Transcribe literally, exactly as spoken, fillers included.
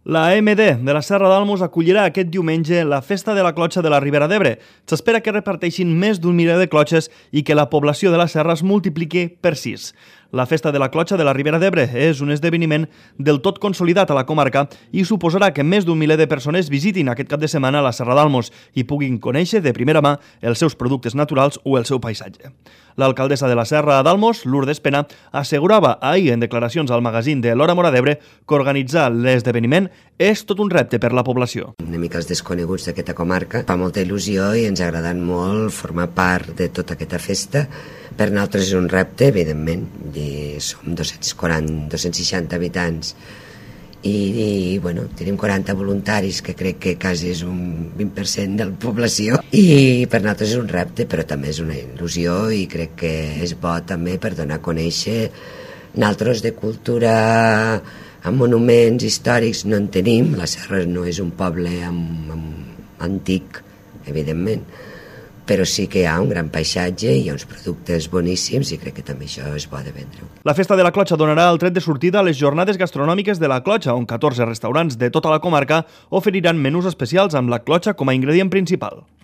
La M D de la Serra d'Almos acollirà aquest diumenge la Festa de la Clotxa de la Ribera d'Ebre. S'espera que reparteixin més d'un miler de clotxes i que la població de la serra es multipliqui per sis. La Festa de la Clotxa de la Ribera d'Ebre és un esdeveniment del tot consolidat a la comarca i suposarà que més d'un miler de persones visitin aquest cap de setmana la Serra d'Almos i puguin conèixer de primera mà els seus productes naturals o el seu paisatge. L'alcaldessa de la Serra d'Almos, Lourdes Pena, assegurava ahir en declaracions al magazín de l'Hora Mora d'Ebre que organitzar l'esdeveniment és tot un repte per la població. Una mica els desconeguts d'aquesta comarca. Fa molta il·lusió i ens ha agradat molt formar part de tota aquesta festa. Per nosaltres és un repte, evidentment. Som dos-cents quaranta, dos-cents seixanta habitants i, i bueno, tenim quaranta voluntaris, que crec que quasi és un vint per cent de la població. I per nosaltres és un repte, però també és una il·lusió i crec que és bo també per donar a conèixer. Nosaltres de cultura amb monuments històrics no en tenim. La Serra no és un poble amb, amb antic, evidentment, però sí que hi ha un gran paisatge i hi ha uns productes boníssims i crec que també això és bo de vendre. La Festa de la Clotxa donarà el tret de sortida a les jornades gastronòmiques de la Clotxa, on catorze restaurants de tota la comarca oferiran menús especials amb la clotxa com a ingredient principal.